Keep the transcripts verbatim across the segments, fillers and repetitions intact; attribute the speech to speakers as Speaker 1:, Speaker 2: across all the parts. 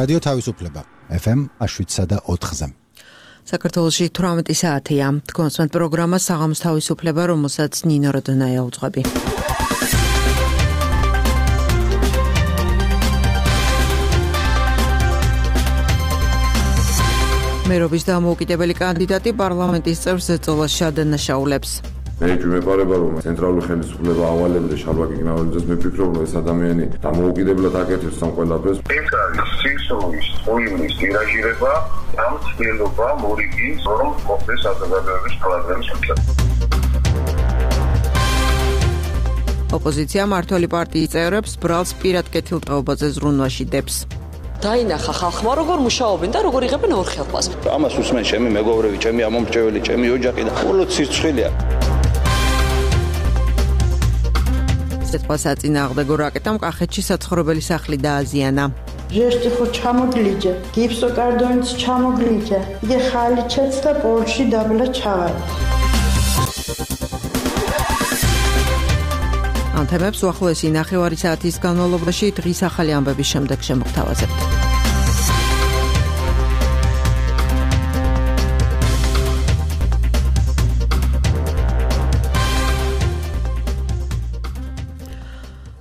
Speaker 1: რადიო თავისუფლება ეფ ემ შვიდსა და ოთხზე.
Speaker 2: საქართველოში თვრამეტი საათია. კონსმენტ პროგრამა საღამოს თავისუფლება, რომელსაც ნინო როდონაია უძღვები. მერობის დამოუკიდებელი კანდიდატი პარლამენტის წევრს ზეწოლას შადანაშაულებს.
Speaker 3: მე ვიმეყარება რომ ცენტრალური ხელისუფლება ავალებდა შარვაკი გინაურიძეს მე ვფიქრობ რომ ეს ადამიანი დამოუკიდებლად აკეთებს ამ ყველაფერს.
Speaker 4: ეს არის სისხლის ტუინის ტირაჟირება ამ ცდილობა მორიგის რომ მოხდეს საზოგადოების პრობლემის შესახებ.
Speaker 2: ოპოზიცია მართველი პარტიის წევრებს ბრალს პირად კეთილდღეობაზე ზრუნვაში დებს.
Speaker 5: დაინახა ხალხმა როგორ მუშაობენ და როგორ იღებენ ორხელფას.
Speaker 6: ამას უსმენ ჩემი მეგობრები, ჩემი ამომრჩეველი, ჩემი ოჯახი და უბრალოდ სირცხვილია.
Speaker 2: საწინააღმდეგო რაკეტამ კახეთში საცხოვრებელი სახლი დააზიანა.
Speaker 7: ჟესტი ხო ჩამოგლიჯე, გიფსოკარდონიც ჩამოგლიჯე, იგე ხალიჩეც და პოლში დაბლა ჩავარ.
Speaker 2: ამ თემებს უახლოესი ნახევარი საათის განმავლობაში დღის ახალი ამბების შემდეგ შემოგთავაზებთ.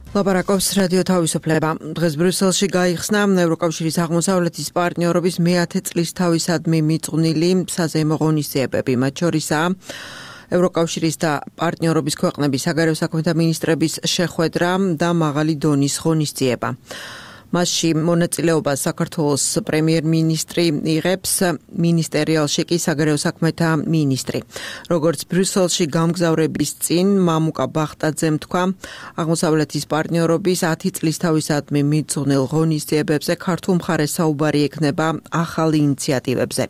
Speaker 2: ლაპარაკობს რადიო თავისუფლება. დღეს ბრიუსელში გაიხსნა ევროკავშირის აღმოსავლეთის პარტნიორობის მეათე წლის თავისადმი მიძღვნილი საზეიმო ღონისძიებები, მათ შორისაა ევროკავშირის და პარტნიორობის ქვეყნების საგარეო საქმეთა მინისტრების შეხვედრა და მაღალი დონის ღონისძიება. მასში მონაწილეობას საქართველოს პრემიერ-მინისტრი იღებს, მინისტერიალში კი საგარეო საქმეთა მინისტრი. როგორც ბრიუსელში გამგზავრების წინ მამუკა ბახტაძემ თქვა, აღმოსავლეთის პარტნიორობის ათი წლის თავისადმი მიძღვნილ ღონისძიებებზე ქართულ მხარეს საუბარი ექნება ახალ ინიციატივებზე.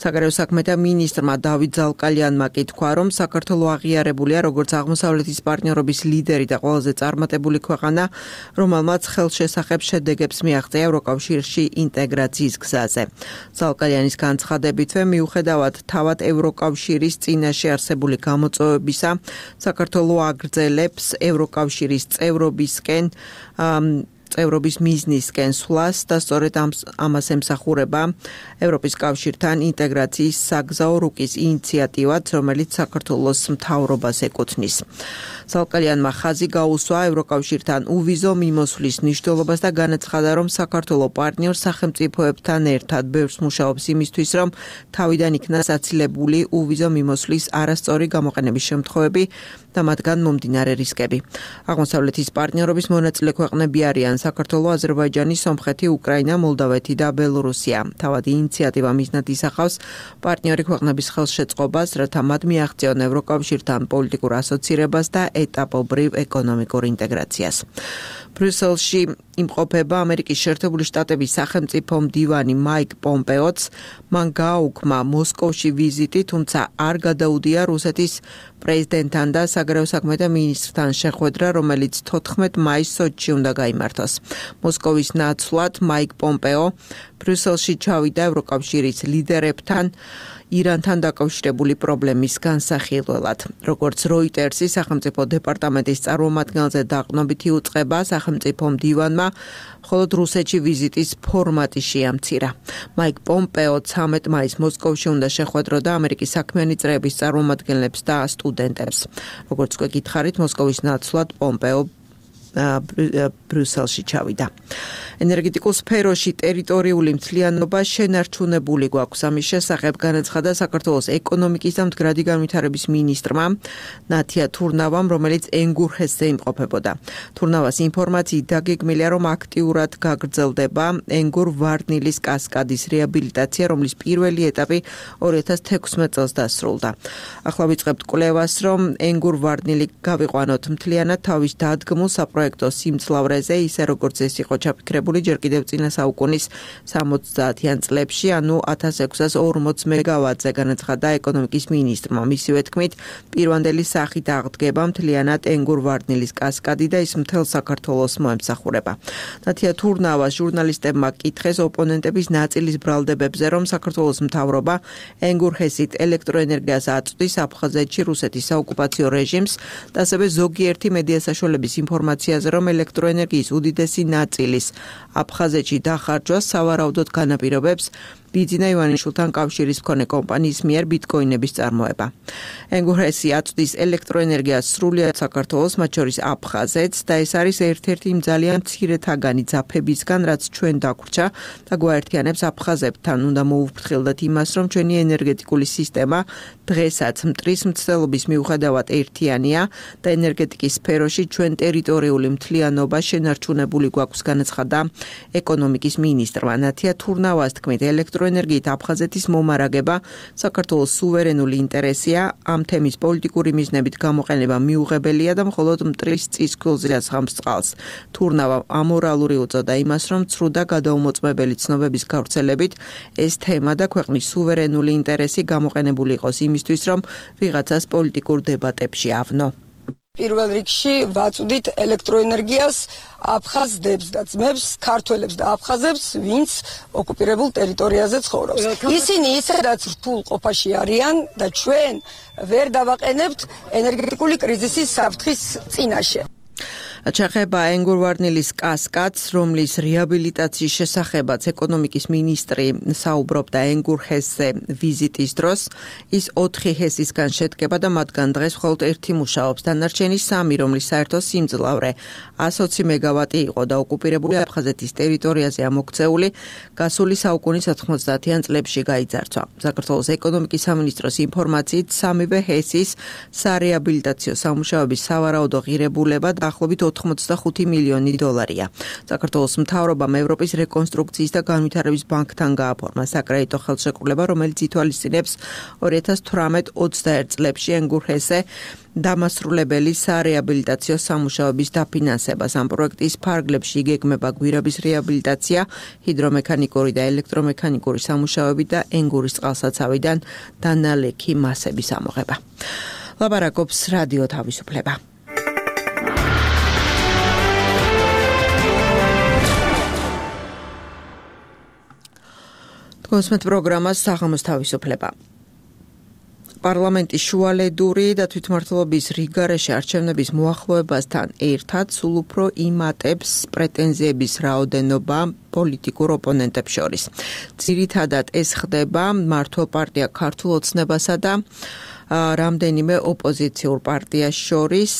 Speaker 2: საგარეო საქმეთა მინისტრმა დავით ზალკალიანმა კი თქვა, რომ საქართველო აღიარებულია როგორც აღმოსავლეთის პარტნიორობის ლიდერი და ყველაზე წარმატებული ქვეყანა, რომელმაც ხელშესახებ შედეგებს მიაღწია ევროკავშირში ინტეგრაციის გზაზე. ზალკალიანის განცხადებითვე, მიუხედავად თავად ევროკავშირის წინაშე არსებული გამოწვევებისა, საქართველო აგრძელებს ევროკავშირის წევრობისკენ წევრობის მიზნისკენ სვლას და სწორედ ამას ემსახურება ევროპის კავშირთან ინტეგრაციის საგზაო რუკის ინიციატივაც, რომელიც საქართველოს მთავრობას ეკუთვნის. ზალკალიანმა ხაზი გაუსვა ევროკავშირთან უვიზო მიმოსვლის მნიშვნელობას და განაცხადა, რომ საქართველო პარტნიორ სახელმწიფოებთან ერთად ბევრს მუშაობს იმისთვის, რომ თავიდან იქნა საცილებული უვიზო მიმოსვლის არასწორი გამოყენების შემთხვევები და მათგან მომდინარე რისკები. აღმოსავლეთის პარტნიორობის მონაწილე ქვეყნები არიან საქართველო, აზერბაიჯანი, სომხეთი, უკრაინა, მოლდავეთი და ბელორუსია. თავად ინიციატივა მიზნად ისახავს პარტნიორი ქვეყნების ხელშეწყობას, რათა მათ მიაღწიონ ევროკავშირთან პოლიტიკურ ასოცირებას და ეტაპობრივ ეკონომიკურ ინტეგრაციას. ბრიუსელში იმყოფება ამერიკის შეერთებული შტატების სახელმწიფო მდივანი მაიკ პომპეოც, მან გააუქმა მოსკოვში ვიზიტი, თუმცა არ გადაუდია რუსეთის პრეზიდენტთან და საგარეო საქმეთა მინისტრთან შეხვედრა, რომელიც თოთხმეტ მაისს სოჩში უნდა გაიმართოს. მოსკოვის ნაცვლად მაიკ პომპეო ბრიუსელში ჩავიდა ევროკავშირის ლიდერებთან ირანთან დაკავშირებული პრობლემის განსახილველად. როგორც როიტერსის სახელმწიფო დეპარტამენტის წარმომადგენელზე დაყრდნობითი უწყება სახელმწიფო მდივანმა, მხოლოდ რუსეთში ვიზიტის ფორმატი შეამცირა. მაიკ პომპეო ცამეტ მაისს მოსკოვში უნდა შეხვედროდა ამერიკის საქმიანი წრეების წარმომადგენლებს და სტუდენტებს. როგორც გვეკითხარით, მოსკოვის ნაცვლად პომპეო ბრიუსელში ჩავიდა. ენერგეტიკულ სფეროში ტერიტორიული მთლიანობა შენარჩუნებული გვაქვს. ამის შესახებ განაცხადა საქართველოს ეკონომიკის და მდგრადი განვითარების მინისტრმა ნათია თურნავამ, რომელიც ენგურჰესზე იმყოფებოდა. თურნავას ინფორმაციით დაგეგმილია, რომ აქტიურად გაგრძელდება ენგურ-ვარდნილის კასკადის რეაბილიტაცია, რომლის პირველი ეტაპი ორი ათას თექვსმეტ წელს დასრულდა. ახლა ვიწყებთ კვლევას, რომ ენგურ-ვარდნილი გავიყვანოთ მთლიანად თავის დადგმულ საპროექტო სიმძლავრეზე, ისე როგორც ეს იყო ჩაფიქრებული ჯერ კიდევ წინა საუკუნის სამოცდაათიან წლებში, ანუ ათას ექვსას ორმოც მეგავატზე, განაცხადა ეკონომიკის მინისტრმა. მისივე თქმით, პირვანდელი სახით აღდგება მთლიანად ენგურ-ვარდნილის კასკადი და ის მთელ საქართველოს მოემსახურება. ნათია თურნავას ჟურნალისტებმა კითხეს ოპონენტების ნაწილის ბრალდებებზე, რომ საქართველოს მთავრობა ენგურჰესით ელექტროენერგიას აწვდის აფხაზეთში რუსეთის საოკუპაციო რეჟიმს და ასევე ზოგიერთი მედია საშუალების ინფორმაციაზე, რომ ელექტროენერგიის უდიდესი ნაწილის აფხაზეთში დახარჯვას სავარაუდოდ განაპირობებს ბიძინა ივანიშვილთან კავშირის მქონე კომპანიის მიერ ბიტკოინების წარმოება. ენგურჰესი აწვდის ელექტროენერგიას სრულიად საქართველოს, მათ შორის აფხაზეთს და ეს არის ერთ-ერთი იმ ძალიან მცირეთაგანი ძაფებისგან, რაც ჩვენ დაგვრჩა და გვაერთიანებს აფხაზებთან. უნდა მოუვფრთხილდეთ იმას, რომ ჩვენი ენერგეტიკული სისტემა დღესაც მტრის მცდელობის მიუხედავად ერთიანია და ენერგეტიკის სფეროში ჩვენ ტერიტორიული მთლიანობა შენარჩუნებული გვაქვს, განაცხადა ეკონომიკის მინისტრმა. ნათია თურნავას თქმით, ელექტროენერგიით აფხაზეთის მომარაგება საქართველოს სუვერენული ინტერესია, ამ თემის პოლიტიკური მიზნებით გამოყენება მიუღებელია და მხოლოდ მტრის წის ქულზე ასხამს წყალს. თურნავამ ამორალური უწოდა იმას, რომ ცრუ და გადაუმოწმებელი ცნობების გავრცელებით ეს თემა და ქვეყნის სუვერენული ინტერესი გამოყენებული იყოს იმისთვის, რომ ვიღაცას პოლიტიკურ დებატებში ავნო.
Speaker 8: პირველ რიგში ვაწვდით ელექტროენერგიას აფხაზებს და ძმებს, ქართველებს და აფხაზებს, ვინც ოკუპირებულ ტერიტორიაზე ცხოვრობს. ისინი ისედაც რთულ ყოფაში არიან და ჩვენ ვერ დავაყენებთ ენერგეტიკული კრიზისის საფრთხის წინაშე.
Speaker 2: ჩახება ენგურვარნილის კასკადს, რომლის რეაბილიტაციის შესახებაც ეკონომიკის მინისტრი საუბრობდა ენგურჰესზე ვიზიტის დროს. ის ოთხი ჰესისგან შედგება და მათგან დღეს მხოლოდ ერთი მუშაობს. დანარჩენი სამი, რომლის საერთო სიმძლავრე ათი მეგავატი იყო და ოკუპირებული აფხაზეთის ტერიტორიაზე ამოქცეული, გასული საუკუნის ოთხმოცდაათიან წლებში გაიძარცვა. საქართველოს ეკონომიკის სამინისტროს ინფორმაციით სამივე ჰესის სარეაბილიტაციო სამუშაოების სავარაუდო ღირებულება დაახლოებით ოთხმოცდახუთი მილიონი დოლარია. საქართველოს მთავრობამ ევროპის რეკონსტრუქციის და განვითარების ბანკთან გააფორმა საკრედიტო ხელშეკრულება, რომელიც ითვალისწინებს ორი ათას თვრამეტ ოცდაერთ წლებში ენგურჰესზე დამასრულებელი სარეაბილიტაციო სამუშაოების დაფინანსებას. ამ პროექტის ფარგლებში იგეგმება გვირაბის რეაბილიტაცია, ჰიდრომექანიკური და ელექტრომექანიკური სამუშაოები და ენგურის წყალსაცავიდან დანალექი მასების ამოღება. ლაპარაკობს რადიო თავისუფლება. კონსმეთ პროგრამას საღამოს თავისუფლება. პარლამენტის შუალედური და თვითმმართველობის რიგგარეშე არჩევნების მოახლოებასთან ერთად სულ უფრო იმატებს პრეტენზიების რაოდენობა პოლიტიკურ ოპონენტებს შორის. ძირითადად ეს ხდება მართლ პარტია ქართულ ოცნებასა და რამდენიმე ოპოზიციურ პარტიას შორის,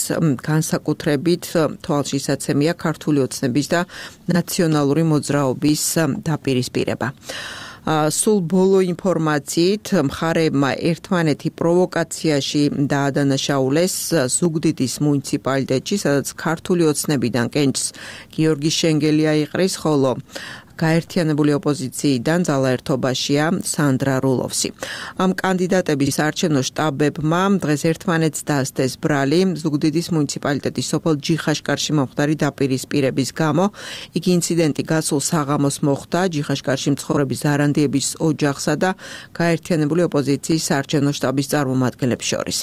Speaker 2: განსაკუთრებით თვალშისაცემია ქართული ოცნების და ნაციონალური მოძრაობის დაპირისპირება. სულ ბოლო ინფორმაციით მხარეებმა ერთმანეთი პროვოკაციაში დაადანაშაულეს ზუგდიდის მუნიციპალიტეტში, სადაც ქართული ოცნებიდან კენჭს გიორგი შენგელი აიყრის, ხოლო გაერთიანებული ოპოზიციიდან ძალაერთობაშია სანდრა რულოვსი. ამ კანდიდატების საარჩევნო შტაბებმა დღეს ერთმანეთს დასდეს ბრალი ზუგდიდის მუნიციპალიტეტის სოფელ ჯიხაშკარში მომხდარი დაპირისპირების გამო. იგი ინციდენტი გასულ საღამოს მოხდა ჯიხაშკარში მცხოვრები ზარანდიების ოჯახსა და გაერთიანებული ოპოზიციის საარჩევნო შტაბის წარმომადგენლებს შორის.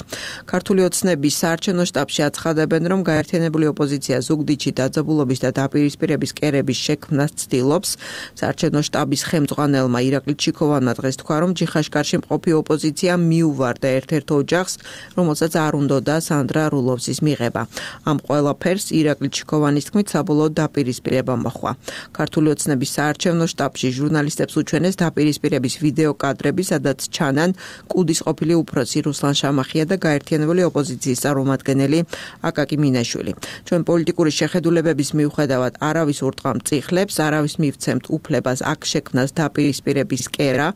Speaker 2: ქართული ოცნების საარჩევნო შტაბში აცხადებენ, რომ გაერთიანებული ოპოზიცია ზუგდიდში დაძაბულობის და დაპირისპირების კერების შექმნას ცდილობს. საარჩევნო შტაბის ხელმძღვანელმა ირაკლი ჩიქოვანმა დღეს თქვა, რომ ჯიხაშკარში მყოფი ოპოზიცია მიუვარდა ერთ-ერთ ოჯახს, რომელსაც არ უნდოდა სანდრა რულოვსის მიღება. ამ ყველაფერს ირაკლი ჩიქოვანის თქმით საბოლოო დაპირისპირება მოჰყვა. ქართული ოცნების საარჩევნო შტაბში ჟურნალისტებს უჩვენეს დაპირისპირების ვიდეო კადრები, სადაც ჩანან კუდის ყოფილი უფროსი რუსლან შამახია და გაერთიანებული ოპოზიციის წარმომადგენელი აკაკი მინაშვილი. ჩვენ პოლიტიკური შეხედულებების მიუხედავად არავის ურტყამ წიხლებს, არავის მივცემთ უფლებას აქ შექმნას დაპირისპირების კერა,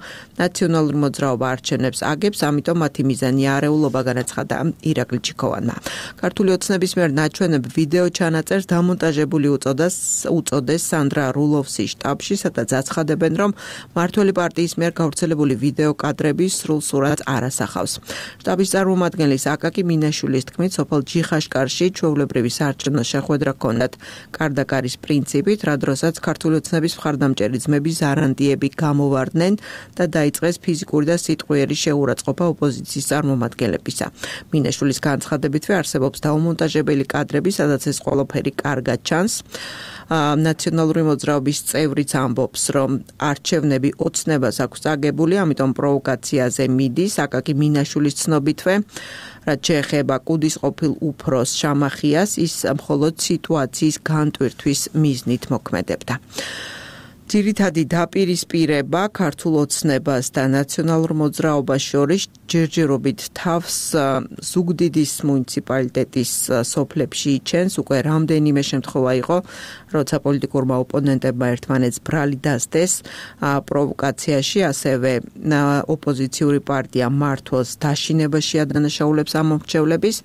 Speaker 2: ნაციონალური მოძრაობა არჩევნებს აგებს, ამიტომ მათი მიზანი არეულობა, განაცხადა ირაკლი ჩიქოვანმა. ქართული ოცნების მიერ ნაჩვენებ ვიდეო ჩანაწერს დამონტაჟებული უწოდეს უწოდეს სანდრა რულოვსის შტაბში, სადაც აცხადებენ, რომ მმართველი პარტიის მიერ გავრცელებული ვიდეო კადრები სრულ სურათს არ ასახავს. შტაბის წარმომადგენლის აკაკი მინაშვილის თქმით, სოფელ ჯიხაშკარში ჩვეულებრივი საარჩევნო შეხვედრა ჰქონდათ კარდაკარის პრინციპით, რა დროსაც ქართული ოცნების მხარდამჭერი ძმების არანდიები გამოვარდნენ და დაიწყეს ფიზიკური და სიტყვიერი შეურაცხყოფა ოპოზიციის წარმომადგენლებისა. მინაშვილის განცხადებითვე არსებობს დაუმონტაჟებელი კადრები, სადაც ეს ყველაფერი კარგად ჩანს. ნაციონალური მოძრაობის წევრიც ამბობს, რომ არჩევნები ოცნებას აქვს წაგებული, ამიტომ პროვოკაციაზე მიდის. აკაკი მინაშვილის ცნობითვე, რაც შეეხება კუდის ყოფილ უფროს შამახიას, ის მხოლოდ სიტუაციის განტვირთვის მიზნით მოქმედებდა. ძირითადი დაპირისპირება ქართულ ოცნებას და ნაციონალურ მოძრაობას შორის ჯერჯერობით თავს ზუგდიდის მუნიციპალიტეტის სოფლებში იჩენს. უკვე რამდენიმე შემთხვევა იყო, როცა პოლიტიკურმა ოპონენტებმა ერთმანეთს ბრალი დასდეს პროვოკაციაში, ასევე ოპოზიციური პარტია მართლს დაშინებაში ადანაშაულებს ამ მომრჩევლების.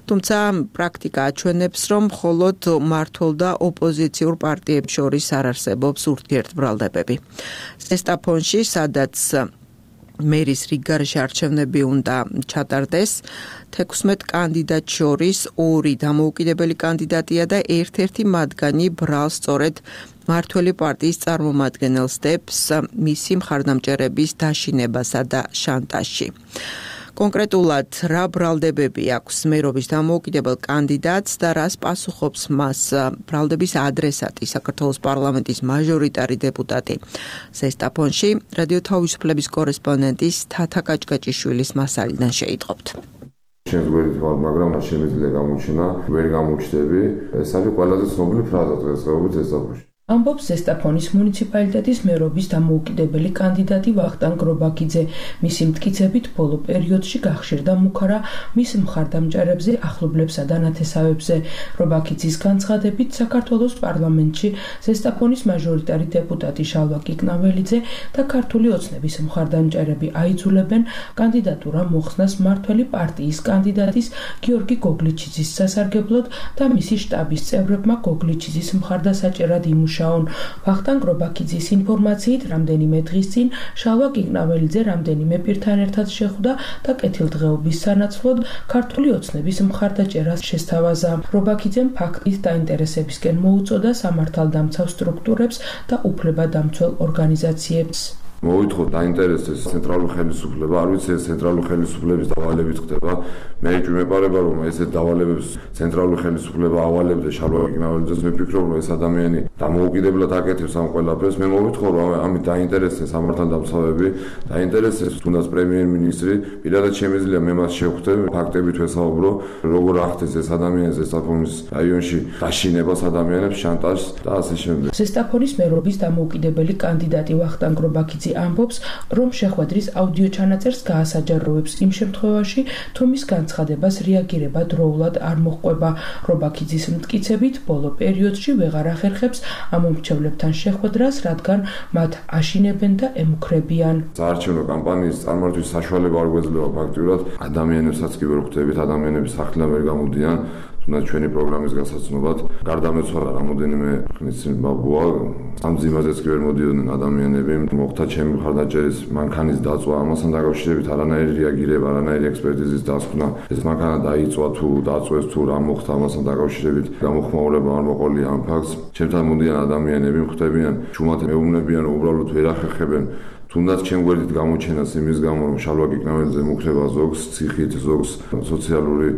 Speaker 2: თუმცა პრაქტიკა აჩვენებს, რომ მხოლოდ მართლ და ოპოზიციურ პარტიებს შორის არ არსებობს ურთიერთბრალდებები. ზესტაფონში, სადაც მერის რიგგარეშე არჩევნები უნდა ჩატარდეს, თექვსმეტ კანდიდატ შორის ორი დამოუკიდებელი კანდიდატია და ერთ-ერთი მათგანი ბრალს სწორედ მართველი პარტიის წარმომადგენელს დებს მისი მხარდამჭერების დაშინებასა და შანტაჟში. კონკრეტულად რა ბრალდებები აქვს მერობის დამოუკიდებელ კანდიდატს და რას პასუხობს მას ბრალდების ადრესატი საქართველოს პარლამენტის მაჟორიტარი დეპუტატი ზესტაფონში რადიო თავისუფლების კორესპონდენტის თათა კაჭკაჭიშვილის მასალიდან შეიტყობთ.
Speaker 3: შემდგომით მაგრამ შემიძლია გამოჩინა ვერ გამოჩნდები. ეს არის ყველაზე ცნობილი ფრაზა დღესდღეობით ზესტაფონში.
Speaker 9: ამბობს ზესტაფონის მუნიციპალიტეტის მერობის დამოუკიდებელი კანდიდატი ვახტანგ რობაქიძე. მისი მტკიცებით ბოლო პერიოდში გახშირდა მუქარა მის მხარდამჭერებზე, ახლობლებსა და ნათესავებზე. რობაქიძის განცხადებით საქართველოს პარლამენტში ზესტაფონის მაჟორიტარი დეპუტატი შალვა კიკნაველიძე და ქართული ოცნების მხარდამჭერები აიძულებენ კანდიდატურა მოხსნას მართველი პარტიის კანდიდატის გიორგი გოგლიჩიძის სასარგებლოდ და მისი შტაბის წევრებმა გოგლიჩიძის მხარდასაჭერად იმუშავონ. ვახტანგ რობაქიძის ინფორმაციით, რამდენიმე დღის წინ შალვა კიკნაველიძე რამდენიმე პირთან ერთად შეხვდა და კეთილდღეობის სანაცვლოდ ქართული ოცნების მხარდაჭერას შესთავაზა. რობაქიძემ ფაქტით დაინტერესებისკენ მოუწოდა სამართალდამცავ სტრუქტურებს და უფლებადამცველ ორგანიზაციებს.
Speaker 3: მოვითხოვ დაინტერესდეს ცენტრალური ხელისუფლება, არ ვიცი ეს ცენტრალური ხელისუფლების დავალებით ხდება. მე ვიმეპარება რომ ეს დავალებებს ცენტრალური ხელისუფლება ავალებდა შალვა კიკნაველიძეს, მე ვფიქრობ რომ ეს ადამიანი დამოუკიდებლად აკეთებს ამ ყველაფერს. მე მოვითხოვ რომ ამით დაინტერესდეს სამართალდამცავები, დაინტერესდეს თუნდაც პრემიერ-მინისტრი, პირადად შემიძლია მე მას შევხვდე, ფაქტებით ვესაუბრო, როგორ ახდენს ეს ადამიანი ზესტაფონის რაიონში დაშინებას ადამიანებს, შანტაჟს და ასე შემდეგ.
Speaker 9: ზესტაფონის მერობის დამოუკიდებელი კანდიდატი ვახტანგ რობაქიძე ამბობს, რომ შეხვედრის აუდიო ჩანაწერს გაასაჯაროვებს იმ შემთხვევაში, თუ მის განცხადებას რეაგირება დროულად არ მოჰყვება. რობაქიძის მტკიცებით, ბოლო პერიოდში ვეღარ ახერხებს ამ მომრჩევლებთან შეხვედრას, რადგან მათ აშინებენ და ემუქრებიან.
Speaker 3: საარჩევნო კამპანიის წარმართვის საშუალება არ გვეძლევა ფაქტიურად, ადამიანებსაც კი ვერ ხვდებით, ადამიანების სახლიდან ვერ გამოდიან. თუნდაც ჩვენი პროგრამის გასაცნობად გარდამეცვალა რამოდენიმე ხნის წინ ბაბუა, ამ ძიმაზეც კი ვერ მოდიოდნენ ადამიანები, მოხდა ჩემი მხარდაჭერის მანქანის დაწვა, ამასთან დაკავშირებით არანაირი რეაგირება, არანაირი ექსპერტიზის დასკვნა, ეს მანქანა დაიწვა თუ დაწვეს თუ რა მოხდა, ამასთან დაკავშირებით გამოხმაურება არ მოყოლია ამ ფაქტს. ჩემთან მოდიან ადამიანები, ხვდებიან, ჩუმად მეუბნებიან, უბრალოდ ვერ ახერხებენ თუნდაც ჩემ გვერდით გამოჩენას იმის გამო, რომ შალვა კიკნაველიძე მუქრება ზოგს, ციხით ზოგს სოციალური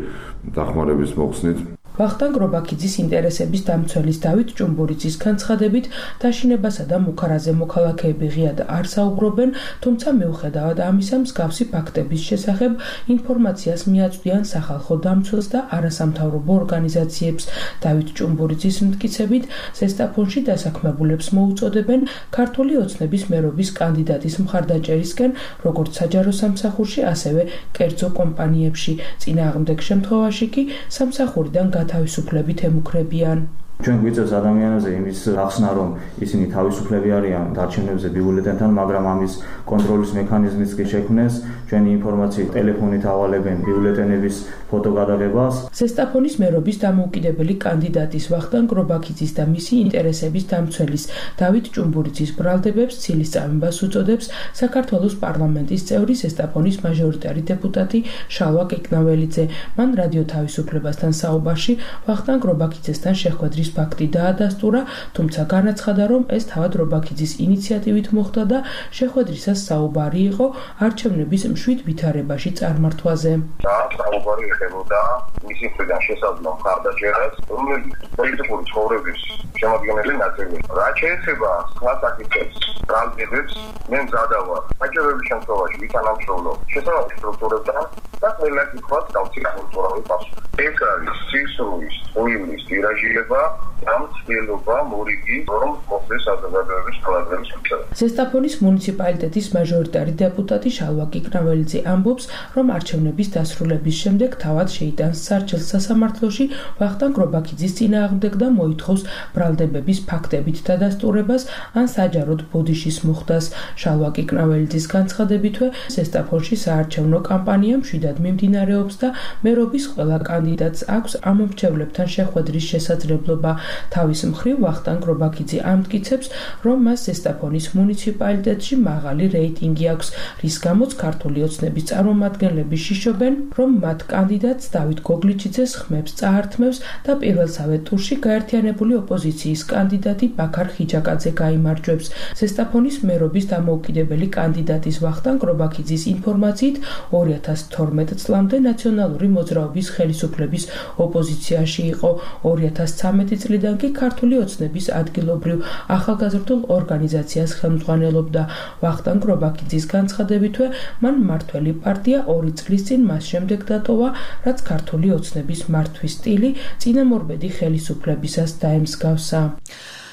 Speaker 3: დახმარების მოხსნით.
Speaker 9: ვახტანგ რობაქიძის ინტერესების დამცველის დავით ჭუმბურიძის განცხადებით, დაშინებასა და მუქარაზე მოქალაქეები ღიად არ საუბრობენ, თუმცა მიუხედავად ამისა, მსგავსი ფაქტების შესახებ ინფორმაციას მიაწვდიან სახალხო დამცველს და არასამთავრობო ორგანიზაციებს. დავით ჭუმბურიძის მტკიცებით, ზესტაფონში დასაქმებულებს მოუწოდებენ ქართული ოცნების მერობის კანდიდატის მხარდაჭერისკენ, როგორც საჯარო სამსახურში, ასევე კერძო კომპანიებში. წინააღმდეგ შემთხვევაში კი სამსახურიდან თავისუფლებით ემუქრებიან.
Speaker 10: ჩვენ გვიწევს ადამიანებზე იმის ახსნა, რომ ისინი თავისუფლები არიან არჩევნებზე ბიულეტენთან, მაგრამ ამის კონტროლის მექანიზმიც კი შექმნეს. ჩვენი ინფორმაციით ტელეფონით ავალებენ ბიულეტენების ფოტოგადაღებას.
Speaker 9: ზესტაფონის მერობის დამოუკიდებელი კანდიდატის ვახტანგ რობაქიძის და მისი ინტერესების დამცველის დავით ჭუმბურიძის ბრალდებებს ცილის წამებას უწოდებს საქართველოს პარლამენტის წევრი ზესტაფონის მაჟორიტარი დეპუტატი შალვა კიკნაველიძე. მან რადიო თავისუფლებასთან საუბარში ვახტანგ რობაქიძესთან შეხვედრის ფაქტი დაადასტურა, თუმცა განაცხადა, რომ ეს თავად რობაქიძის ინიციატივით მოხდა და შეხვედრისას საუბარი იყო არჩევნების მშვიდ ვითარებაში წარმართვაზე.
Speaker 4: და საუბარი ეხებოდა მისი მხრიდან შესაძლო მხარდაჭერას, რომელიც პოლიტიკური ცხოვრების შემადგენელი ნაწილია. რაც შეეხება სხვა საკითხებს, ბრალდებებს, მე მზადა ვარ საჭიროების შემთხვევაში ვითანამშრომლო შესაბამის სტრუქტურებთან და ყველა კითხვას გავცი კულტურული პასუხი. ეს არის სისრულის, ტყუილის ტირაჟირება და მცდელობა მორიგი, რომ მოხდეს საზოგადოების პრობლემის შეცდომა.
Speaker 9: ზესტაფონის მუნიციპალიტეტის მაჟორიტარი დეპუტატი შალვა კიკნაველიძე ამბობს, რომ არჩევნების დასრულების შემდეგ თავად შეიტანს სარჩელს სასამართლოში ვახტანგ რობაქიძის წინააღმდეგ და მოითხოვს ბრალდებების ფაქტებით დადასტურებას ან საჯაროდ ბოდიშის მოხდას. შალვა კიკნაველიძის განცხადებითვე ზესტაფონში საარჩევნო კამპანია მშვიდად მიმდინარეობს და მერობის ყველა კანდიდატს აქვს ამომრჩევლებთან შეხვედრის შესაძლებლობა. თავის მხრივ ვახტანგ რობაქიძე ამტკიცებს, რომ მას ზესტაფონის მუნიციპალიტეტში მაღალი რეიტინგი აქვს, რის გამოც ქართული ოცნების წარმომადგენლები შიშობენ, რომ მათ კანდიდატს დავით გოგლიჩიძეს ხმებს წაართმევს და პირველსავე ტურში გაერთიანებული ოპოზიციის კანდიდატი ბაქარ ხიჯაკაძე გაიმარჯვებს. ზესტაფონის მერობის დამოუკიდებელი კანდიდატის ვახტანგ რობაქიძის ინფორმაციით ორი ათას თორმეტ წლამდე ნაციონალური მოძრაობის ხელისუფლების ოპოზიციაში იყო. ორი ათას ცხრამეტი წლიდან კი ქართული ოცნების ადგილობრივ ახალგაზრდულ ორგანიზაციას ხელმძღვანელობდა. ვახტანგ რობაქიძის განცხადებითვე მან მმართველი პარტია ორი წლის წინ მას შემდეგ დატოვა, რაც ქართული ოცნების მართვის სტილი წინამორბედი ხელისუფლებისას დაემსგავსა.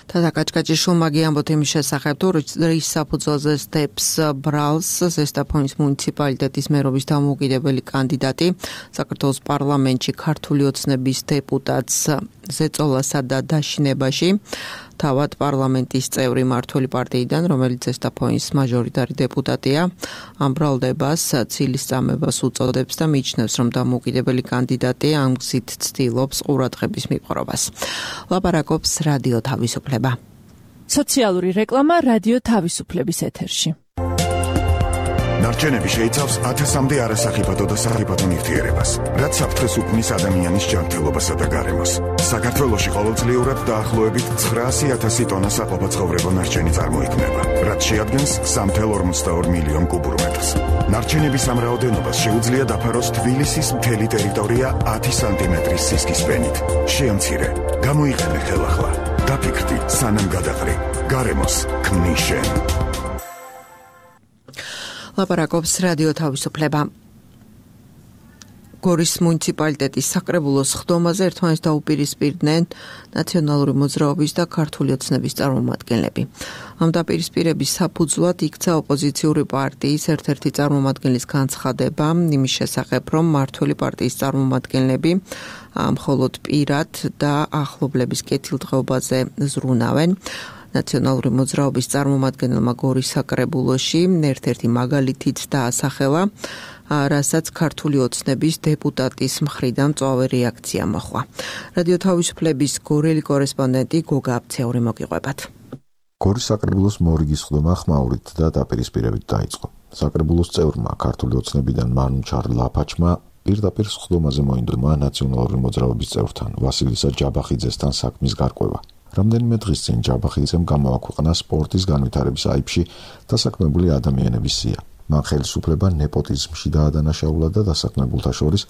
Speaker 2: თათა კაჭკაჭიშვილმა გიამბოთ იმის შესახებ, თუ რის საფუძველზე სტეპს ბრალს ზესტაფონის მუნიციპალიტეტის მერობის დამოუკიდებელი კანდიდატი საქართველოს პარლამენტში ქართული ოცნების დეპუტატს ზეწოლასა და დაშინებაში თავად პარლამენტის წევრი მმართველი პარტიიდან, რომელიც ზესტაფონის მაჟორიტარი დეპუტატია, ამ ბრალდებას ცილის წამებას უწოდებს და მიიჩნევს, რომ დამოუკიდებელი კანდიდატი ამ გზით ცდილობს ყურადღების მიპყრობას. ლაპარაკობს რადიო თავისუფლება.
Speaker 11: სოციალური რეკლამა რადიო თავისუფლების ეთერში.
Speaker 12: ნარჩენები შეიცავს ათასამდე არასახიფათო და სახიფათო ნივთიერებას, რაც საფრთხეს უქმნის ადამიანის ჯანმრთელობასა და გარემოს. საქართველოში ყოველწლიურად დაახლოებით ცხრაასი ათასი ტონა საყოფაცხოვრებო ნარჩენი წარმოიქმნება, რაც შეადგენს სამი წუთი ორმოცდაორი მილიონ კუბურ მეტრს. ნარჩენების ამ რაოდენობას შეუძლია დაფაროს თბილისის მთელი ტერიტორია ათი სანტიმეტრის სისქის ფენით. შეამცირე, გამოიყენე ხელახლა. დაფიქრდი, სანამ გადაყრი. გარემოს ქმნის შენ.
Speaker 2: ლაპარაკობს რადიო თავისუფლება. გორის მუნიციპალიტეტის საკრებულოს ხდომაზე ერთმანეთს დაუპირისპირდნენ ნაციონალური მოძრაობის და ქართული ოცნების წარმომადგენლები. ამ დაპირისპირების საფუძვლად იქცა ოპოზიციური პარტიის ერთ-ერთი წარმომადგენლის განცხადება იმის შესახებ, რომ მმართველი პარტიის წარმომადგენლები მხოლოდ პირად და ახლობლების კეთილდღეობაზე ზრუნავენ. ნაციონალური მოძრაობის წარმომადგენელმა გორის საკრებულოში ერთ-ერთი მაგალითით დაასახელა, რასაც ქართული ოცნების დეპუტატის მხრიდან მწვავე რეაქცია მოჰყვა. რადიო თავისუფლების გორელი კორესპონდენტი გოგა აბცეური მოგიყვებათ.
Speaker 13: გორის საკრებულოს მორიგის ხდომა ხმაურით და დაპირისპირებით დაიწყო. საკრებულოს წევრმა ქართული ოცნებიდან მანუჩარ ლაფაჩმა პირდაპირ ხდომაზე მოინდომა ნაციონალური მოძრაობის წევრთან ვასილისა ჯაბახიძესთან საქმის გარკვევა. რამდენიმე დღის წინ ჯაბახიძემ გამოაქვეყნა სპორტის განვითარების აიბში დასაქმებული ადამიანების სია. მან ხელისუფლება ნეპოტიზმში დაადანაშაულა და დასაქმებულთა შორის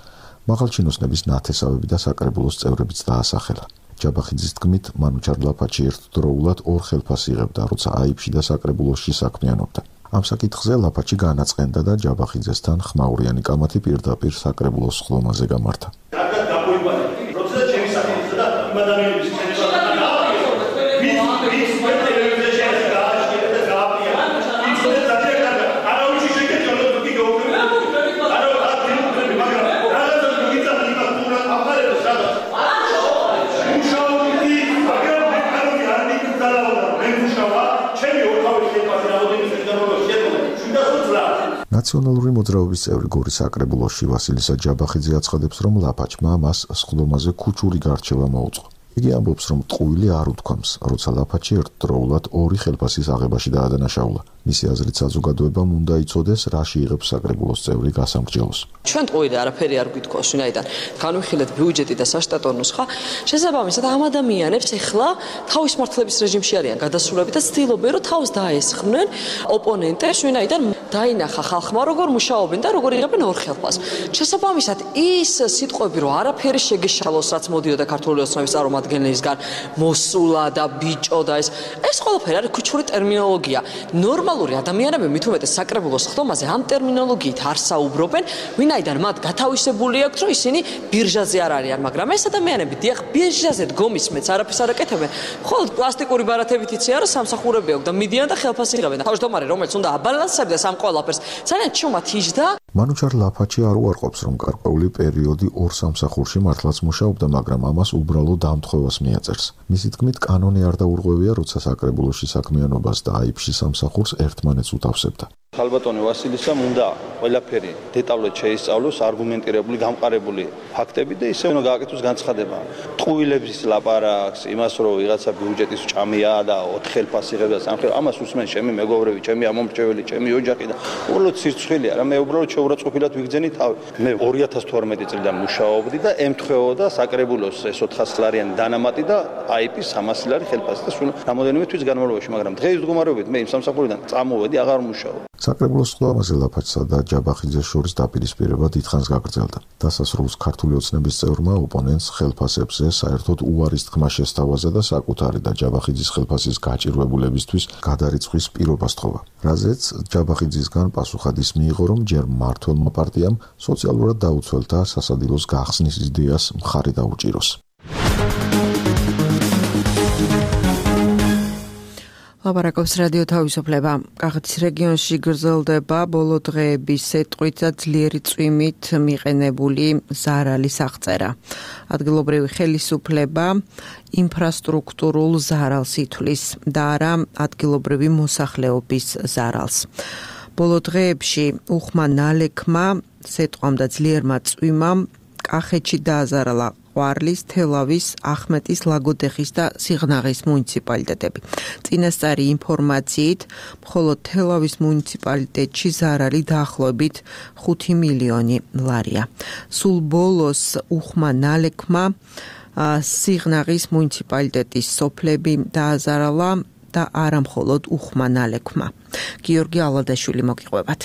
Speaker 13: მაღალჩინოსნების ნათესავები და საკრებულოს წევრებიც დაასახელა. ჯაბახიძის თქმით, მანუჩარ ლაფაჩი ერთდროულად ორ ხელფას იღებდა, როცა აიბში და საკრებულოსში საქმიანობდა. ამ საკითხზე ლაფაჩი განაწყენდა და ჯაბახიძესთან ხმაურიანი კამათი პირდაპირ საკრებულოს ხდომაზე გამართა. ნაციონალური მოძრაობის წევრი გორის საკრებულოში ვასილისა ჯაბახიძე აცხადებს, რომ ლაფაჩმა მას სხდომაზე ქუჩური გარჩევა მოუწყო. იგი ამბობს, რომ ტყუილი არ უთქვამს, როცა ლაფაჩი ერთდროულად ორი ხელფასის აღებაში დაადანაშაულა. მისი აზრით საზოგადოებამ უნდა იცოდეს, რაში იღებს საკრებულოს წევრი გასამრჯელოს.
Speaker 5: ჩვენ ტყუილი არაფერი არ გვითქოს, ვინაიდან განვიხილეთ ბიუჯეტი და საშტატო ნუსხა, შესაბამისად ამ ადამიანებს ეხლა თავის მართლების რეჟიმში არიან გადასულები და ცდილობენ, რომ თავს დაესხნენ ოპონენტებს, ვინაიდან დაინახა ხალხმა როგორ მუშაობენ და როგორ იღებენ ორ ხელფას. შესაბამისად ის სიტყვები, რომ არაფერი შეგეშალოს, რაც მოდიოდა ქართული ოცნების წარმომადგენლისგან, მოსულა და ბიჭო და ეს ეს ყველაფერი არის ქუჩური ტერმინოლოგია. ნორმალური ადამიანები მით უმეტეს საკრებულოს ხდომაზე ამ ტერმინოლოგიით არ საუბრობენ, ვინაიდან მათ გათავისებული აქვს, რომ ისინი ბირჟაზე არ არიან, მაგრამ ეს ადამიანები დიახ ბირჟაზე დგომის მეც არაფერს არ აკეთებენ. მხოლოდ პლასტიკური ბარათებით იციან, რომ სამსახურები აქვს და მიდიან და ხელფასი იღებენ. თავმჯდომარე, რომელიც უნდა აბალანსებდეს ამ ყველაფერს, ძალიან ჩუმად იჯდა.
Speaker 13: მანუჩარ ლაფაჩი არ უარყოფს, რომ გარკვეული პერიოდი ორ სამსახურში მართლაც მუშაობდა, მაგრამ ამას უბრალოდ დამთხოვას მიაწერს. მისი თქმით, კანონი არ დაურღვევია, როცა საკრებულოში საქმიანობას და აიფში სამსახურს ერთმანეთს უთავსებდა.
Speaker 6: ხალბატონი ვასილისამ უნდა ყველაფერი დეტალურად შეისწავლოს, არგუმენტირებული, გამყარებული ფაქტები და ისე უნდა გააკეთოს განცხადება. ტყუილების ლაპარაკს, იმას რომ ვიღაცა ბიუჯეტის ჭამია და ოთხ ხელფასი იღებს და სამ ხელ, ამას უსმენ ჩემი მეგობრები, ჩემი ამომრჩეველი, ჩემი ოჯახი და უბრალოდ სირცხვილია რა, მე უბრალოდ შეურაცხყოფილად ვიგრძენი თავი. მე ორი ათას თორმეტი წლიდან მუშაობდი და ემთხვეოდა საკრებულოს ეს ოთხას ლარიანი დანამატი და აიპის სამასი ლარი ხელფასი და სულ რამოდენიმე თვის განმავლობაში, მაგრამ დღეს მდგომარეობით მე იმ სამსახურიდან წამოვედი, აღარ მუშაობ.
Speaker 13: საკრებულოს ხდომაზე ლაფაჩსა და ჯაბახიძეს შორის დაპირისპირება დიდხანს გაგრძელდა. დასასრულს ქართული ოცნების წევრმა ოპონენტს ხელფასებზე საერთოდ უარის თქმა შესთავაზა და საკუთარი და ჯაბახიძის ხელფასის გაჭირვებულებისთვის გადარიცხვის პირობა სთხოვა. რაზეც ჯაბახიძისგან პასუხადის მიიღო, რომ ჯერ მმართველმა პარტიამ სოციალურად დაუცველთა სასადილოს გახსნის იდეას მხარი დაუჭიროს.
Speaker 2: ლაპარაკობს რადიო თავისუფლება. კახეთის რეგიონში გრძელდება ბოლო დღეების სეტყვით და ძლიერი წვიმით მიყენებული ზარალის აღწერა. ადგილობრივი ხელისუფლება ინფრასტრუქტურულ ზარალს ითვლის და არა ადგილობრივი მოსახლეობის ზარალს. ბოლო დღეებში უხმა ნალექმა სეტყვამ და ძლიერმა წვიმამ კახეთში დააზარალა ყვარლის, თელავის, ახმეტის, ლაგოდეხის და სიღნაღის მუნიციპალიტეტები. წინასწარი ინფორმაციით, მხოლოდ თელავის მუნიციპალიტეტში ზარალი დაახლოებით ხუთი მილიონი ლარია. სულ ბოლოს უხმა ნალექმა სიღნაღის მუნიციპალიტეტის სოფლები დააზარალა და არა მხოლოდ უხმა ნალექმა. გიორგი ალადაშვილი მოგიყვებათ.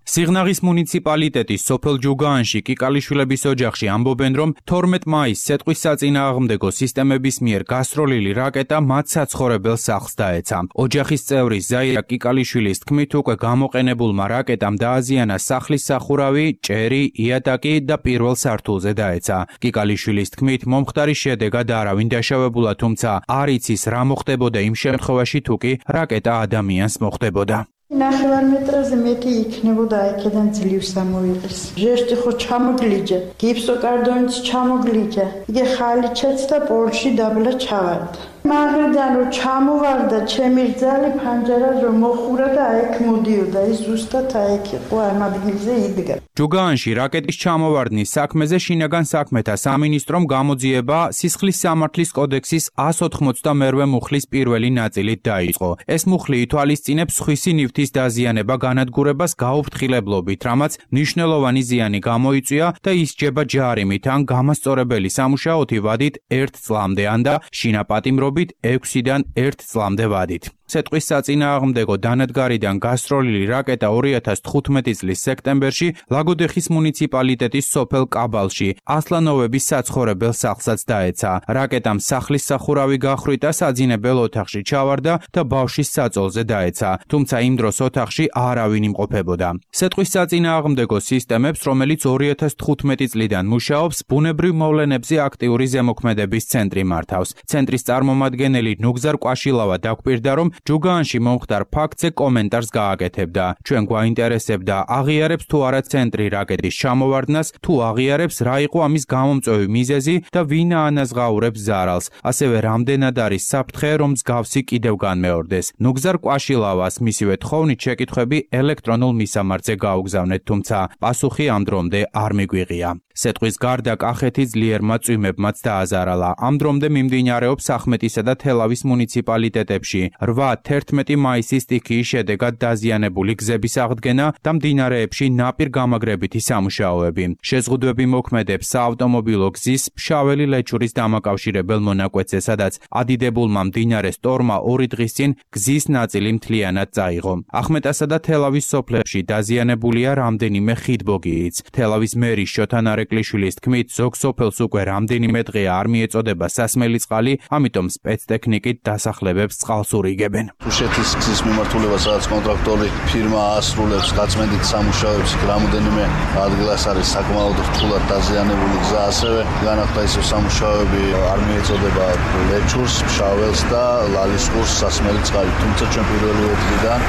Speaker 14: სიღნაღის მუნიციპალიტეტის სოფელ ჯუგაანში კიკალიშვილების ოჯახში ამბობენ, რომ თორმეტ მაისს სეტყვის საწინააღმდეგო სისტემების მიერ გასროლილი რაკეტა მათ საცხოვრებელ სახლს დაეცა. ოჯახის წევრი ზაირა კიკალიშვილის თქმით, უკვე გამოყენებულმა რაკეტამ დააზიანა სახლის სახურავი, ჭერი, იატაკი და პირველ სართულზე დაეცა. კიკალიშვილის თქმით, მომხდარის შედეგად არავინ დაშავებულა, თუმცა არ იცის რა მოხდებოდა იმ შემთხვევაში, თუ კი რაკეტა ადამიანს მოხდებოდა.
Speaker 7: ნახევარ მეტრაზე მეტი იქნებოდა აქედან ძლივს ამოიღეს. ჟესტი ხო ჩამოგლიჯა, გიფსოკარდონიც ჩამოგლიჯა. იგი ხალიჩაც და პოლში დაბლა ჩავარდა. მაგრიდან რომ ჩამოვარდა, ჩემი რძალი ფანჯარა რომ მოხურა და აიქ მოდიოდა, ის ზუსტად აიქ იყო ამ ადგილზე იდგა.
Speaker 14: ჯუგაანში რაკეტის ჩამოვარდნის საქმეზე შინაგან საქმეთა სამინისტრომ გამოძიება სისხლის სამართლის კოდექსის εκατს ოთხმოცდამეორე მუხლის პირველი ნაწილით დაიწყო. ეს მუხლი ითვალისწინებს სხვისი ნივთის დაზიანება განადგურებას გაუფრთხილებლობით, რამაც მნიშვნელოვანი ზიანი გამოიწვია და ისჯება ჯარიმით ან გამასწორებელი სამუშაოთი ვადით ერთ წლამდე ან და შინაპატიმრობით ექვსიდან ერთ წლამდე ვადით. სეტყვის საწინააღმდეგო დანადგარიდან გასროლილი რაკეტა ორი ათას თხუთმეტი წლის სექტემბერში ლაგოდეხის მუნიციპალიტეტის სოფელ კაბალში ასლანოვების საცხოვრებელ სახლსაც დაეცა. რაკეტამ სახლის სახურავი გახრიტა, საძინებელ ოთახში ჩავარდა და ბავშვის საწოლზე დაეცა, თუმცა იმ დროს ოთახში არავინ იმყოფებოდა. სეტყვის საწინააღმდეგო სისტემებს, რომელიც ორი ათას თხუთმეტი წლიდან მუშაობს, ბუნებრივ მოვლენებზე აქტიური ზემოქმედების ცენტრი მართავს. ცენტრის წარმომადგენელი ნუგზარ კვაშილავა დაგვირდა, რომ ჯუგაანში მომხდარ ფაქტზე კომენტარს გააკეთებდა. ჩვენ გვაინტერესებდა, აღიარებს თუ არა ცენტრი რაკეტის ჩამოვარდნას, თუ აღიარებს რა იყო ამის გამომწვევი მიზეზი და ვინ აანაზღაურებს ზარალს. ასევე რამდენად არის საფრთხე, რომ მსგავსი კიდევ განმეორდეს. ნუგზარ კვაშილავას მისივე თხოვნით შეკითხვები ელექტრონულ მისამართზე გაუგზავნეთ, თუმცა პასუხი ამ დრომდე არ მიგვიღია. სეტყვის გარდა კახეთი ძლიერმა წვიმებმაც დააზარალა. ამ დრომდე მიმდინარეობს ახმეტისა და თელავის მუნიციპალიტეტებში რვა თერთმეტი მაისის სტიქიის შედეგად დაზიანებული გზების აღდგენა და მდინარეებში ნაპირ გამაგრებითი სამუშაოები. შეზღუდვები მოქმედებს საავტომობილო გზის ფშაველი ლეჩურის დამაკავშირებელ მონაკვეთზე, სადაც ადიდებულმა მდინარე სტორმა ორი დღის წინ გზის ნაწილი მთლიანად წაიღო. ახმეტასა და თელავის სოფლებში დაზიანებულია რამდენიმე ხიდბოგიიც. თელავის მერის შოთა ნარეკლიშვილის თქმით, ზოგ სოფელს უკვე რამდენიმე დღე არ მიეწოდება სასმელი წყალი, ამიტომ სპეცტექნიკით დასახლებებს წყალს ურიგებენ.
Speaker 15: თუშეთის გზის მიმართულება, სადაც კონტრაქტორი ფირმა ასრულებს გაწმენდით სამუშაოებს, რამოდენიმე ადგილას არის საკმაოდ რთულად დაზიანებული გზა, ასევე განახლდა ისევ სამუშაოები არ მიეწოდება ლეჩურს, ფშაველს და ლალისყურს სასმელი წყალი. თუმცა ჩვენ პირველი დღიდან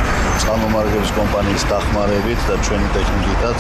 Speaker 15: წყალმომარაგების კომპანიის დახმარებით და ჩვენი ტექნიკითაც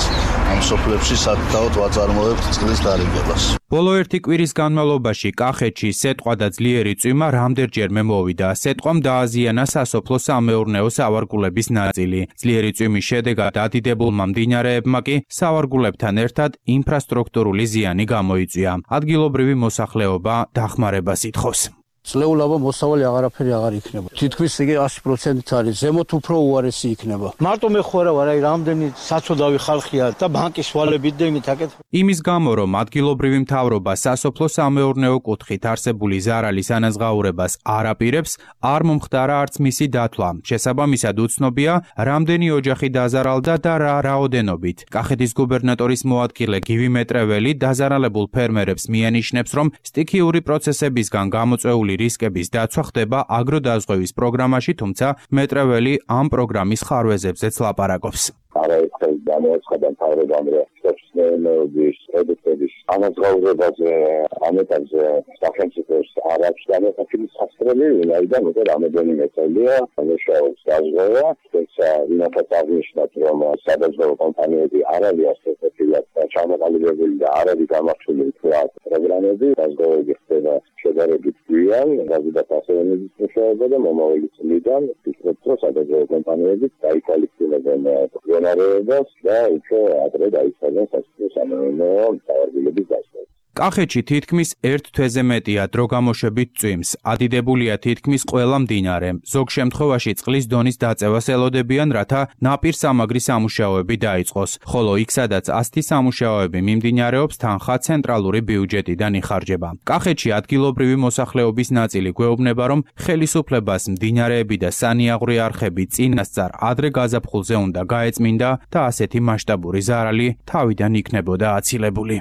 Speaker 15: ამ სოფლებში სათაოდ ვაწარმოებთ წყლის დარიგებას.
Speaker 14: ბოლო ერთი კვირის განმავლობაში კახეთში სეტყვა და ძლიერი წვიმა რამდენჯერმე მოვიდა. სეტყვამ დააზიანა სასოფლო-სამეურნეო სავარგულების ნაწილი. ძლიერი წვიმის შედეგად ადიდებულმა მდინარეებმა კი სავარგულებთან ერთად ინფრასტრუქტურული ზიანი გამოიწვია. ადგილობრივი მოსახლეობა დახმარებას ითხოვს.
Speaker 16: წლეულობა მოსავალი აღარაფერი აღარ იქნება. თითქმის იგი ასი პროცენტით არის, ზემოთ უფრო უარესი იქნება. მარტო მე ხო არა ვარ, აი რამდენი საცოდავი ხალხია და ბანკის ვალებით და იმით აკეთებ.
Speaker 14: იმის გამო, რომ ადგილობრივი მთავრობა სასოფლო-სამეურნეო კუთხით არსებული ზარალის ანაზღაურებას არ აპირებს, არ მომხდარა არც მისი დათვლა. შესაბამისად უცნობია, რამდენი ოჯახი დაზარალდა და რა რაოდენობით. კახეთის გუბერნატორის მოადგილე გივი მეტრეველი დაზარალებულ ფერმერებს მიანიშნებს, რომ სტიქიური პროცესებისგან გამოწვეული რისკების დაცვა ხდება აგროდაზღვევის პროგრამაში, თუმცა მეტრეველი ამ პროგრამის ხარვეზებზეც ლაპარაკობს.
Speaker 17: არაერთხელ გამოაცხადა მთავრობამ, რომ მეურნეობის პროდუქტების ანაზღაურებაზე ამ ეტაპზე სახელმწიფოს არ აქვს განაცხადებული სასწრელი, ვინაიდან უკვე რამოდენიმე წელია მუშაობს დაზღვევა, თუმცა ვინასაც აღნიშნათ, რომ სადაზღვევო კომპანიები არ არის ასეთებია ჩამოყალიბებული და არ არის გამართული თქვათ პროგრამები, დაზღვევები ხდება შედარებით გვიან, გაზიდათ ასევე მუშაობა და მომავალი წლიდან ვფიქრობ, რომ სადაზღვევო კომპანიები დაიკვალიფიცირებენ პროგრამებს და უფრო ადრე დაიწყებენ სასოფლო-სამეურნეო სავარგულების დაზღვევას.
Speaker 14: კახეთში თითქმის ერთ თვეზე მეტია დრო გამოშვებით წვიმს. ადიდებულია თითქმის ყველა მდინარე. ზოგ შემთხვევაში წყლის დონის დაწევას ელოდებიან, რათა ნაპირსამაგრის სამუშაოები დაიწყოს. ხოლო იქ, სადაც ასეთი სამუშაოები მიმდინარეობს, თანხა ცენტრალური ბიუჯეტიდან იხარჯება. კახეთში ადგილობრივი მოსახლეობის ნაწილი გვეუბნება, რომ ხელისუფლებას მდინარეები და სანიაღვრე არხები წინასწარ ადრე გაზაფხულზე უნდა გაეწმინდა და ასეთი მასშტაბური ზარალი თავიდან იქნებოდა აცილებული.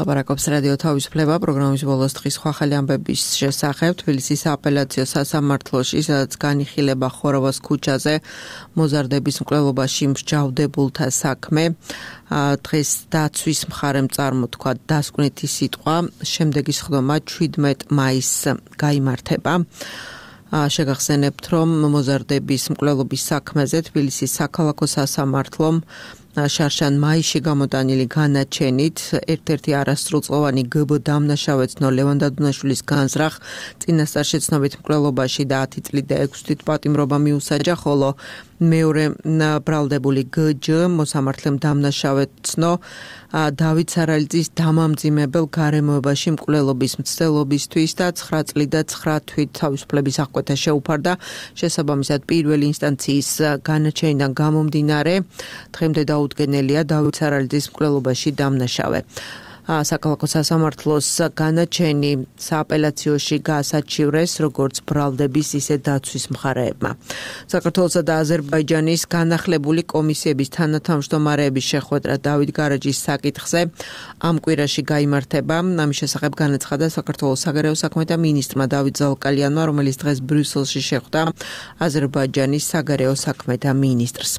Speaker 2: ლაპარაკობს რადიო თავისუფლება პროგრამის ბოლოს დღის სხვა ხელი ამბების შესახებ. თბილისის აპელაციო სასამართლოში, სადაც განიხილება ხოროვას ქუჩაზე მოზარდების მკვლელობაში მსჯავრდებულთა საქმე, დღეს დაცვის მხარემ წარმოთქვა დასკვნითი სიტყვა. შემდეგი სხდომა შვიდმეტ მაისს გაიმართება. შეგახსენებთ, რომ მოზარდების მკვლელობის საქმეზე თბილისის საქალაქო სასამართლომ შარშან მაისში გამოტანილი განაჩენით ერთ-ერთი არასრულწლოვანი გბ დამნაშავეცნო ლევან დადუნაშვილის განზრახ წინასწარ შეცნობით მკვლელობაში და ათი წლით და ექვსი თვით პატიმრობა მიუსაჯა, ხოლო მეორე ბრალდებული გჯ მოსამართლემ დამნაშავეცნო დავით სარალიძის დამამძიმებელ გარემოებაში მკვლელობის მცდელობისთვის და ცხრა წლით და ცხრა თვით თავისუფლების აღკვეთა შეუფარდა. შესაბამისად პირველი ინსტანციის განაჩენიდან გამომდინარე დღემდე დაუდგენელია დავით სარალიძის მკვლელობაში დამნაშავე. საკალათო სასამართლოს განაჩენი სააპელაციოში გაასაჩივრეს როგორც ბრალდების, ისე დაცვის მხარეებმა. საქართველოსა და აზერბაიჯანის განახლებული კომისიების თანათავმჯდომარეების შეხვედრა დავით გარაჯის საკითხზე ამ კვირაში გაიმართება. ამის შესახებ განაცხადა საქართველოს საგარეო საქმეთა მინისტრმა დავით ზალკალიანმა, რომელიც დღეს ბრიუსელში შეხვდა აზერბაიჯანის საგარეო საქმეთა მინისტრს.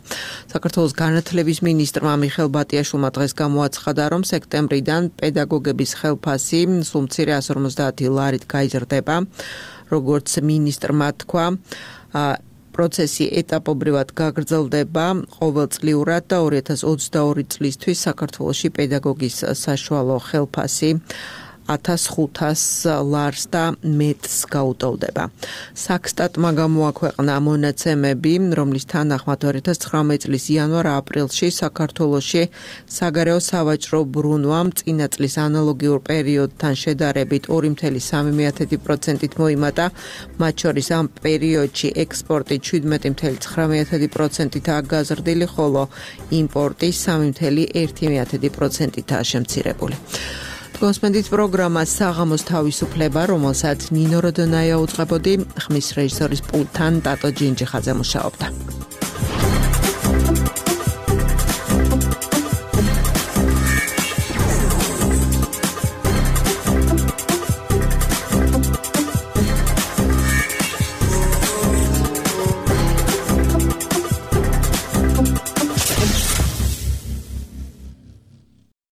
Speaker 2: საქართველოს განათლების მინისტრმა მიხელ ბატიაშვილმა დღეს გამოაცხადა, რომ სექტემბრიდან პედაგოგების ხელფასი სულ მცირე ასი ორმოცდაათი ლარით გაიზრდება. როგორც მინისტრმა თქვა, პროცესი ეტაპობრივად გაგრძელდება ყოველწლიურად და ორი ათას ოცდაორი წლისთვის საქართველოში პედაგოგის საშუალო ხელფასი ათას ხუთას ლარს და მეტს გაუტოლდება. საქსტატმა გამოაქვეყნა მონაცემები, რომლის თანახმად ორი ათას ცხრამეტი წლის იანვარ-აპრილში საქართველოში საგარეო სავაჭრო ბრუნვამ წინა წლის ანალოგიურ პერიოდთან შედარებით ორი წუთი სამი პროცენტით მოიმატა, მათ შორის ამ პერიოდში ექსპორტი შვიდმეტი წუთი ცხრა პროცენტითაა გაზრდილი, ხოლო იმპორტი სამი წუთი ერთი პროცენტითაა შემცირებული. გოსმენდით პროგრამა საღამოს თავისუფლება, რომელსაც ნინო როდონაია უძღვებოდი, ხმის რეჟისორის პულტთან ტატო ჯინჯიხაძე მუშაობდა.